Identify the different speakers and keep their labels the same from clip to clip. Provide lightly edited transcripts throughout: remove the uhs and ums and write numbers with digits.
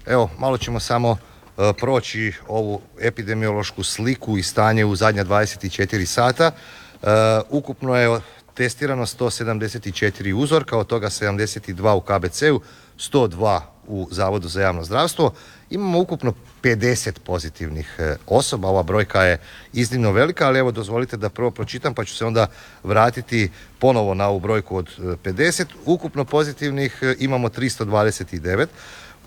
Speaker 1: Evo, malo ćemo samo proći ovu epidemiološku sliku i stanje u zadnja 24 sata. Ukupno je testirano 174 uzorka, od toga 72 u KBC-u, 102 u Zavodu za javno zdravstvo. Imamo ukupno 50 pozitivnih osoba. Ova brojka je iznimno velika, ali evo dozvolite da prvo pročitam pa ću se onda vratiti ponovo na ovu brojku od 50. Ukupno pozitivnih imamo 329.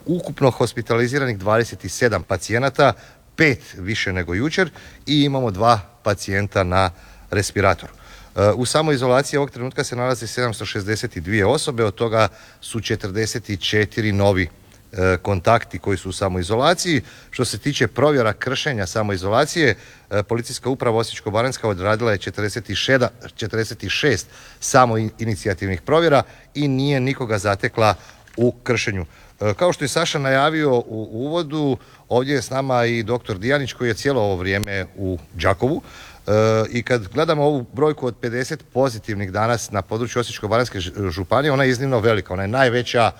Speaker 1: Ukupno hospitaliziranih 27 pacijenata, 5 više nego jučer i imamo 2 pacijenta na respiratoru. U samoizolaciji ovog trenutka se nalazi 762 osobe, od toga su 44 novi kontakti koji su u samoizolaciji. Što se tiče provjera kršenja samoizolacije, Policijska uprava Osječko-baranjska odradila je 46 samoinicijativnih provjera i nije nikoga zatekla u kršenju. Kao što je Saša najavio u uvodu, ovdje je s nama i dr. Dijanić koji je cijelo ovo vrijeme u Đakovu. I kad gledamo ovu brojku od 50 pozitivnih danas na području Osječko-baranjske županije, ona je iznimno velika. Ona je najveća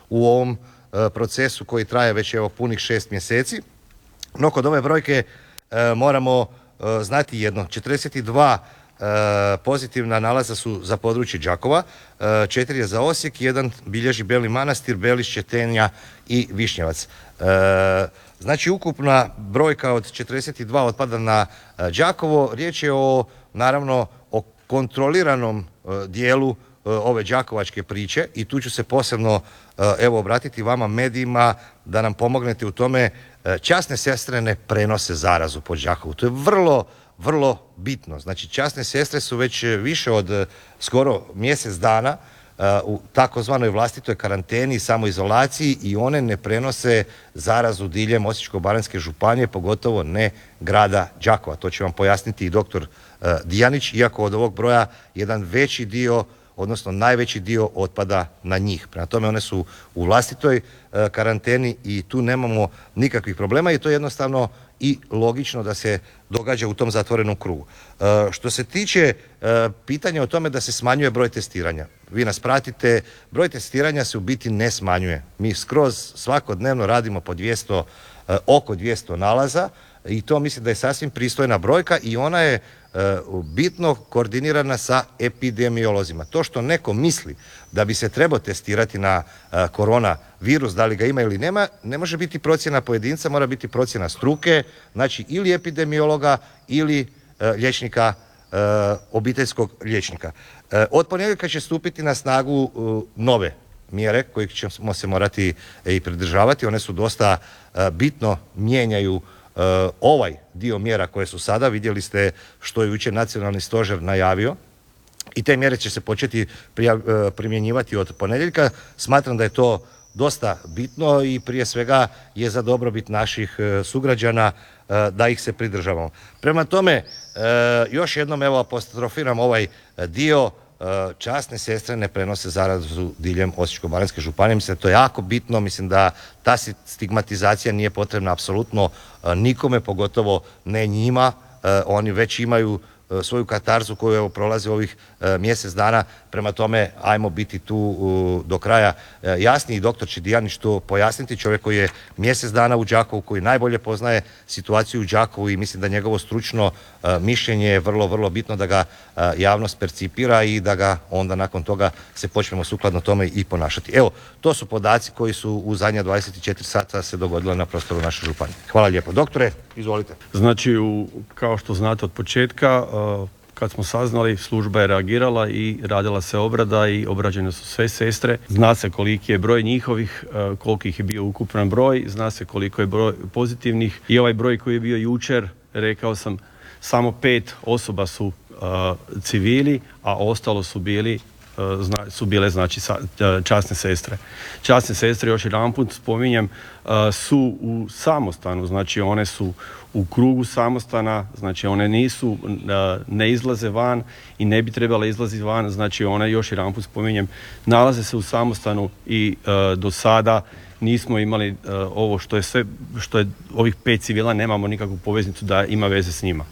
Speaker 1: u ovom procesu koji traje već evo punih 6 mjeseci. No kod ove brojke moramo znati jedno. 42 pozitivna nalaza su za područje Đakova, 4 je za Osijek, 1 bilježi Beli Manastir, Belišće, Tenja i Višnjevac. Znači ukupna brojka od 42 otpada na Đakovo. Riječ je naravno o kontroliranom dijelu ove đakovačke priče i tu ću se posebno obratiti vama medijima da nam pomognete u tome. Časne sestre ne prenose zarazu po Đakovu. To je vrlo bitno. Znači časne sestre su već više od skoro mjesec dana u takozvanoj vlastitoj karanteni i samoizolaciji i one ne prenose zarazu diljem Osječko-baranjske županije, pogotovo ne grada Đakova. To će vam pojasniti i dr. Dijanić, iako od ovog broja jedan veći dio, odnosno najveći dio otpada na njih. Prema tome one su u vlastitoj karanteni i tu nemamo nikakvih problema i to je jednostavno i logično da se događa u tom zatvorenom krugu. Što se tiče pitanja o tome da se smanjuje broj testiranja, vi nas pratite, broj testiranja se u biti ne smanjuje. Mi skroz svakodnevno radimo po 200, oko 200 nalaza i to mislim da je sasvim pristojna brojka i ona je bitno koordinirana sa epidemiolozima. To što neko misli da bi se trebao testirati na koronavirus, da li ga ima ili nema, ne može biti procjena pojedinca, mora biti procjena struke, znači ili epidemiologa ili liječnika, obiteljskog liječnika. Od ponedjeljka će stupiti na snagu nove mjere kojih ćemo se morati i pridržavati. One su dosta bitno mijenjaju ovaj dio mjera koje su sada. Vidjeli ste što je jučer nacionalni stožer najavio i te mjere će se početi primjenjivati od ponedjeljka. Smatram da je to dosta bitno i prije svega je za dobrobit naših sugrađana da ih se pridržavamo. Prema tome, još jednom evo apostrofiram ovaj dio, časne sestre ne prenose zarazu diljem Osječko-baranjske županije. Mislim da to je jako bitno, mislim da ta stigmatizacija nije potrebna apsolutno nikome, pogotovo ne njima. Oni već imaju svoju katarzu koju evo prolaze ovih mjesec dana, prema tome ajmo biti tu do kraja jasni i doktor će Dijanić to pojasniti, čovjek koji je mjesec dana u Đakovu, koji najbolje poznaje situaciju u Đakovu i mislim da njegovo stručno mišljenje je vrlo bitno da ga javnost percipira i da ga onda nakon toga se počnemo sukladno tome i ponašati. Evo, to su podaci koji su u zadnja 24 sata se dogodile na prostoru naše županije. Hvala lijepo. Doktore, izvolite.
Speaker 2: Znači, kao što znate od početka, kad smo saznali, služba je reagirala i radila se obrada i obrađene su sve sestre. Zna se koliki je broj njihovih, koliko ih je bio ukupan broj, zna se koliko je broj pozitivnih i ovaj broj koji je bio jučer, rekao sam, samo 5 osoba su civili, a ostalo su bile znači časne sestre. Časne sestre, još jedanput spominjem, su u samostanu, znači one su u krugu samostana, znači one ne izlaze van i ne bi trebale izlaziti van, znači one, još jedanput spominjem, nalaze se u samostanu i do sada nismo imali ovo što je ovih 5 civila, nemamo nikakvu poveznicu da ima veze s njima.